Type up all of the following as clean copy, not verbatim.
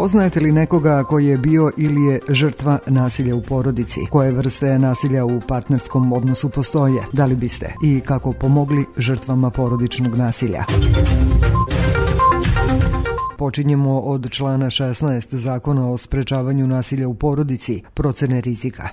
Poznajete li nekoga koji je bio ili je žrtva nasilja u porodici? Koje vrste nasilja u partnerskom odnosu postoje? Da li biste i kako pomogli žrtvama porodičnog nasilja? Počinjemo od člana 16 Zakona o sprečavanju nasilja u porodici, procene rizika.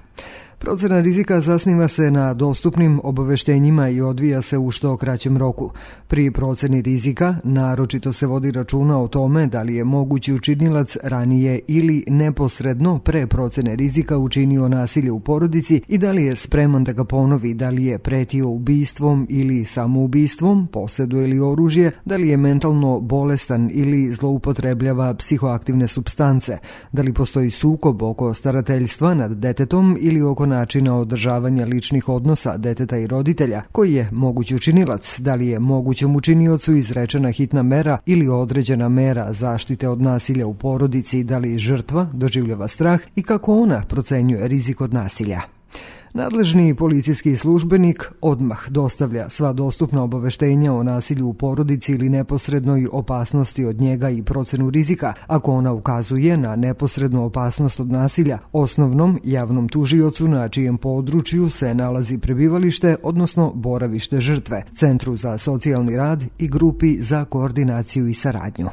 Procena rizika zasniva se na dostupnim obaveštenjima i odvija se u što kraćem roku. Pri proceni rizika naročito se vodi računa o tome da li je mogući učinilac ranije ili neposredno pre procene rizika učinio nasilje u porodici i da li je spreman da ga ponovi, da li je pretio ubistvom ili samoubistvom, posjeduje li oružje, da li je mentalno bolestan ili zloupotrebljava psihoaktivne supstance, da li postoji sukob oko starateljstva nad detetom ili oko načina održavanja ličnih odnosa deteta i roditelja, koji je mogući učinilac, da li je mogućem učiniocu izrečena hitna mera ili određena mera zaštite od nasilja u porodici, da li žrtva doživljava strah i kako ona procenjuje rizik od nasilja. Nadležni policijski službenik odmah dostavlja sva dostupna obaveštenja o nasilju u porodici ili neposrednoj opasnosti od njega i procenu rizika, ako ona ukazuje na neposrednu opasnost od nasilja, osnovnom javnom tužiocu na čijem području se nalazi prebivalište, odnosno boravište žrtve, Centru za socijalni rad i grupi za koordinaciju i saradnju.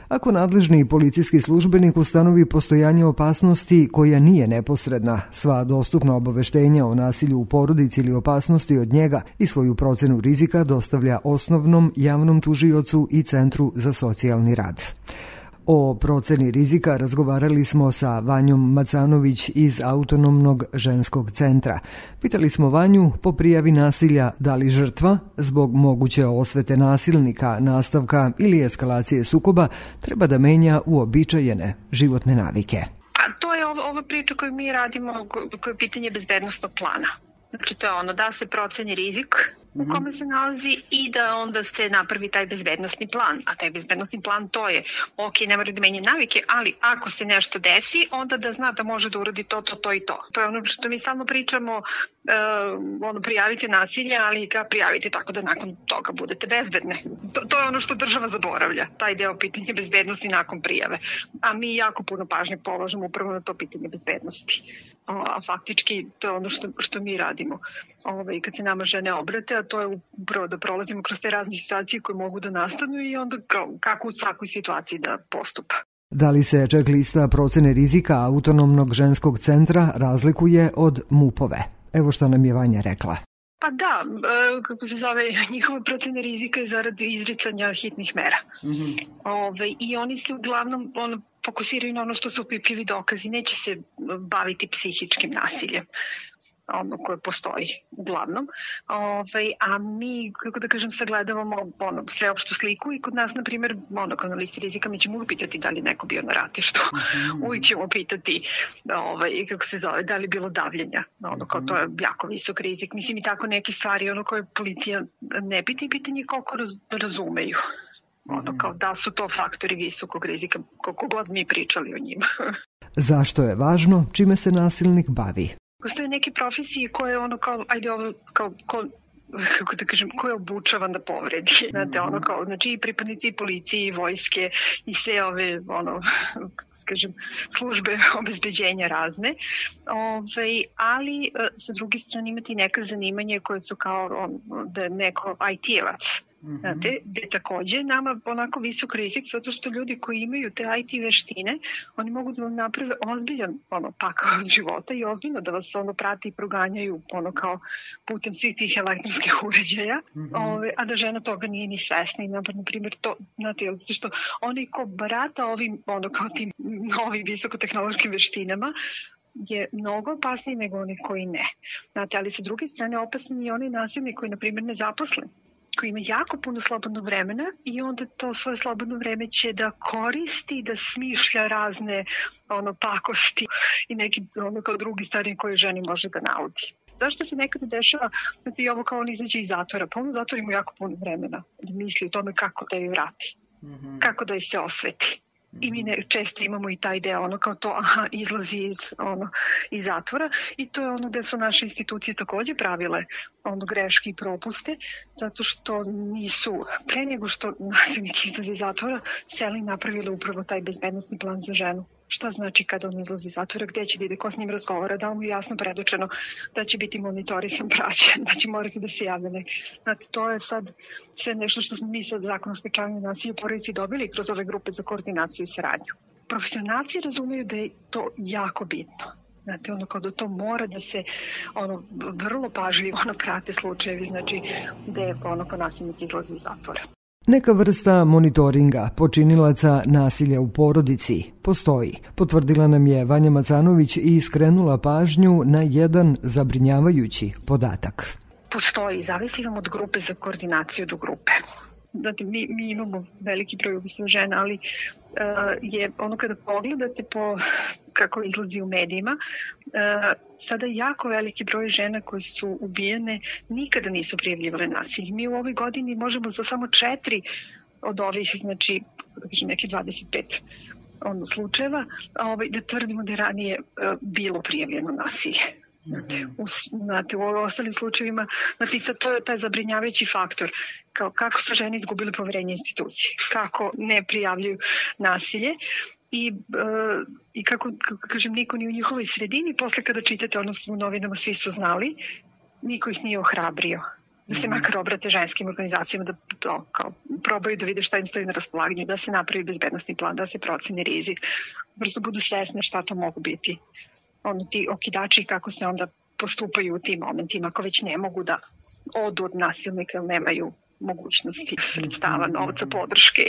Ako nadležni policijski službenik ustanovi postojanje opasnosti koja nije neposredna, sva dostupna obaveštenja o nasilju u porodici ili opasnosti od njega i svoju procenu rizika dostavlja osnovnom javnom tužiocu i Centru za socijalni rad. O proceni rizika razgovarali smo sa Vanjom Macanović iz Autonomnog ženskog centra. Pitali smo Vanju po prijavi nasilja da li žrtva, zbog moguće osvete nasilnika, nastavka ili eskalacije sukoba, treba da menja uobičajene životne navike. A to je ova priča koju mi radimo, koje je pitanje bezbednostnog plana. Znači to je ono da se proceni rizik u kome se nalazi i da onda se napravi taj bezbednostni plan. A taj bezbednostni plan to je, ok, ne mora da menja navike, ali ako se nešto desi, onda da zna da može da uradi to i to. To je ono što mi stalno pričamo, prijavite nasilje, ali ga prijavite tako da nakon toga budete bezbedne. To je ono što država zaboravlja, taj deo pitanja bezbednosti nakon prijave. A mi jako puno pažnje polažemo upravo na to pitanje bezbednosti. A faktički to je ono što mi radimo. Kad se nama žene obrate, a to je upravo da prolazimo kroz te razne situacije koje mogu da nastanu i onda kako u svakoj situaciji da postupa. Da li se checklista procene rizika Autonomnog ženskog centra razlikuje od MUP-ove? Evo što nam je Vanja rekla. Pa da, kako se zove, njihova procena rizika je zarad izricanja hitnih mera. I oni se uglavnom fokusiraju na ono što su opipljivi dokazi, neće se baviti psihičkim nasiljem. Ono koje postoji uglavnom. A mi, kako da kažem, sagledavamo sveopštu sliku i kod nas, na primjer, kao na listi rizika, mi ćemo uvijek pitati da li neko bio na ratištu. Uvijek ćemo pitati kako se zove, da li je bilo davljenja. Kao to je jako visok rizik. Mislim i tako neke stvari koje policija ne pita i pitanje koliko razumeju. Kao da su to faktori visokog rizika, koliko god mi pričali o njima. Zašto je važno čime se nasilnik bavi? Postoje neke profesije koje ko je obučavan da povredi. Znate, znači i pripadnici policije i vojske i sve ove, službe obezbeđenja razne. Ali, sa druge strane, imati neka zanimanje koje su kao da je neko IT-evac. Znate, gde takođe nama onako visok rizik, zato što ljudi koji imaju te IT veštine, oni mogu da vam naprave ozbiljan pakao od života i ozbiljno da vas prati i proganjaju kao putem svih tih elektronskih uređaja, a da žena toga nije ni svesna. I na primjer to, znate, zato što onaj ko barata ovim, kao tim novim visokotehnološkim veštinama, je mnogo opasniji nego oni koji ne. Znate, ali sa druge strane opasni i oni nasilni koji, na primjer, ne zaposlen, koji ima jako puno slobodnog vremena i onda to svoje slobodno vreme će da koristi, da smišlja razne pakosti i neki kao drugi stvari koje ženi može da naudi. Zašto se nekada dešava, znate, i ovo kao on izađe iz zatvora, pa on u zatvoru ima jako puno vremena da misli o tome kako da ju vrati, kako da ju se osveti. I mi često imamo i taj deo, kao to, izlazi iz zatvora, i to je gde su naše institucije takođe pravile greške i propuste, zato što nisu, pre nego što nasilnik izlazi iz zatvora, seli napravile upravo taj bezbednostni plan za ženu. Šta znači kada on izlazi iz zatvora, gde će da ide, ko s njim razgovara, da li mu je jasno predočeno da će biti monitorisan, praćen, da će morati da se javlja neki. Znate, to je sad sve nešto što smo mi sad Zakon o sprečavanju nasilja u porodici dobili kroz ove grupe za koordinaciju i saradnju. Profesionalci razumeju da je to jako bitno. Znate, kao da to mora da se vrlo pažljivo prate slučajevi, znači gde kao nasilnik izlazi iz zatvora. Neka vrsta monitoringa počinilaca nasilja u porodici postoji, potvrdila nam je Vanja Macanović i skrenula pažnju na jedan zabrinjavajući podatak. Postoji, zavisi vam od grupe za koordinaciju do grupe. Znate, mi imamo veliki broj ubistva žena, ali je kada pogledate kako izlazi u medijima, sada jako veliki broj žena koji su ubijene nikada nisu prijavljivale nasilje. Mi u ovoj godini možemo za samo 4 od ovih, znači neki 25 slučajeva, da tvrdimo da je ranije bilo prijavljeno nasilje. Znate, u ostalim slučajevima, to je taj zabrinjavajući faktor, kako su žene izgubile poverenje institucije, kako ne prijavljuju nasilje i kako kažem, niko ni u njihovoj sredini, posle kada čitate u novinama svi su znali, niko ih nije ohrabrio da se makar obrate ženskim organizacijama, da to probaju da vide šta im stoji na raspolaganju, da se napravi bezbednosni plan, da se proceni rizik, prosto budu svesne šta to mogu biti. Ti okidači kako se onda postupaju u tim momentima, ako već ne mogu da odu od nasilnika ili nemaju mogućnosti sredstava, novca, podrške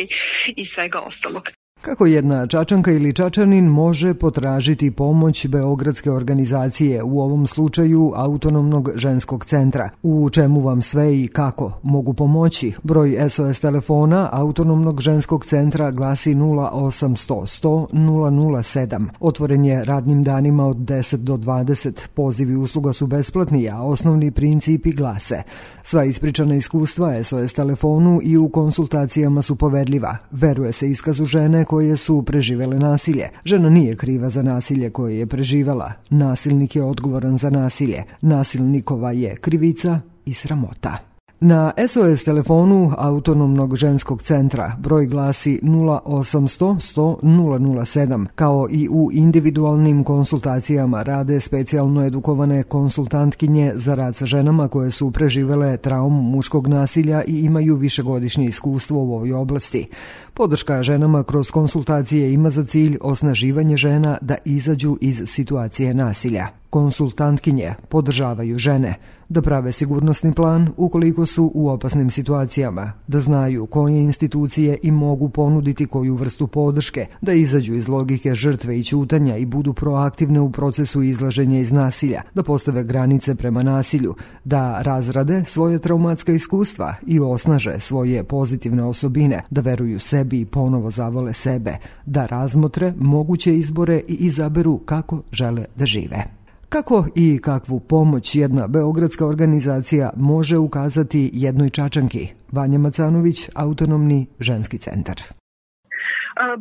i svega ostalog. Kako jedna Čačanka ili Čačanin može potražiti pomoć beogradske organizacije, u ovom slučaju Autonomnog ženskog centra? U čemu vam sve i kako mogu pomoći? Broj SOS telefona Autonomnog ženskog centra glasi 0800 100 007. Otvoren je radnim danima od 10 do 20. Pozivi usluga su besplatni, a osnovni principi glase: sva ispričana iskustva SOS telefonu i u konsultacijama su poverljiva. Veruje se iskazu žene koje su preživele nasilje. Žena nije kriva za nasilje koje je preživala. Nasilnik je odgovoran za nasilje. Nasilnikova je krivica i sramota. Na SOS telefonu Autonomnog ženskog centra broj glasi 0800 100 007. Kao i u individualnim konsultacijama rade specijalno edukovane konsultantkinje za rad sa ženama koje su preživele traumu muškog nasilja i imaju višegodišnje iskustvo u ovoj oblasti. Podrška ženama kroz konsultacije ima za cilj osnaživanje žena da izađu iz situacije nasilja. Konsultantkinje podržavaju žene da prave sigurnosni plan ukoliko su u opasnim situacijama, da znaju koje institucije im mogu ponuditi koju vrstu podrške, da izađu iz logike žrtve i ćutanja i budu proaktivne u procesu izlaženja iz nasilja, da postave granice prema nasilju, da razrade svoje traumatska iskustva i osnaže svoje pozitivne osobine, da veruju sebi i ponovo zavole sebe, da razmotre moguće izbore i izaberu kako žele da žive. Kako i kakvu pomoć jedna beogradska organizacija može ukazati jednoj Čačanki? Vanja Macanović, Autonomni ženski centar.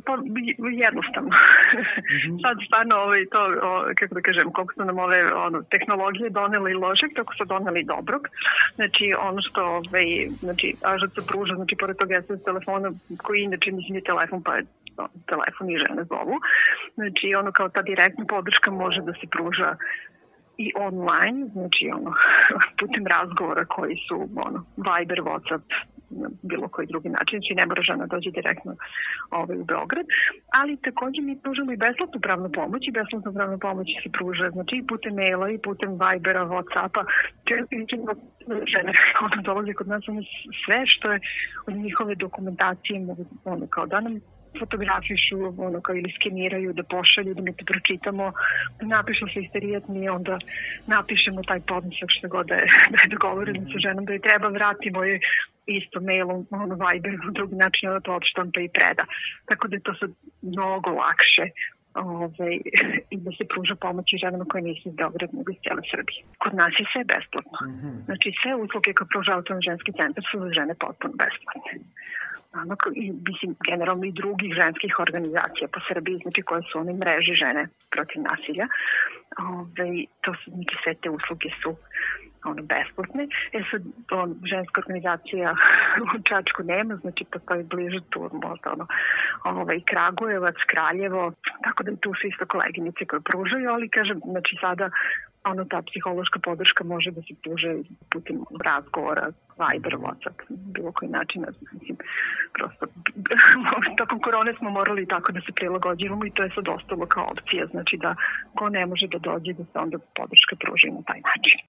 Pa jednostavno. Sad stvarno kako da kažem, koliko su nam ove tehnologije doneli ložeg, tako su doneli dobrog. Znači ono što AŽC pruža, znači pored toga SOS telefona koji inače mislim je telefon, pa je telefon i žene zovu. Znači kao ta direktna podrška može da se pruža i online, znači putem razgovora koji su Viber, WhatsApp, bilo koji drugi način, znači ne mora žena dođe direktno u Beograd, ali takođe mi pružamo i besplatnu pravnu pomoć i besplatnu pravnu pomoć se pruža, znači i putem maila i putem Vibera, Whatsappa, žene dolaze kod nas sve što je od njihove dokumentacije mogu kao da nam fotografišu, kao ili skeniraju, da pošalju, da mi to pročitamo, da napišu se isterijat, mi onda napišemo taj podnesak što god da je dogovoreno sa ženom, da je treba vratimo je isto mailom, Viber, na drugi način ona to odštampa i preda. Tako da je to sad mnogo lakše i da se pruža pomoć i ženama koje nisu iz Beograda nego iz cijele Srbije. Kod nas je sve besplatno. Znači sve usluge koje pruža Autonomni ženski centar su za žene potpuno besplatne. i mislim generalno i drugih ženskih organizacija po Srbiji, znači koje su one mreže žene protiv nasilja. To su, znači sve te usluge su besplatne. Sad, ženska organizacija u Čačku nema, znači postoji bliže tu možda Kragujevac, Kraljevo, tako da tu su isto koleginice koje pružaju, ali kažem, znači sada ta psihološka podrška može da se pruže putem razgovora, Viber, WhatsApp, bilo koji način. Mislim, prosto, tokom korone smo morali tako da se prilagođivamo i to je sad ostalo kao opcija. Znači da ko ne može da dođe, da se onda podrška pruži na taj način.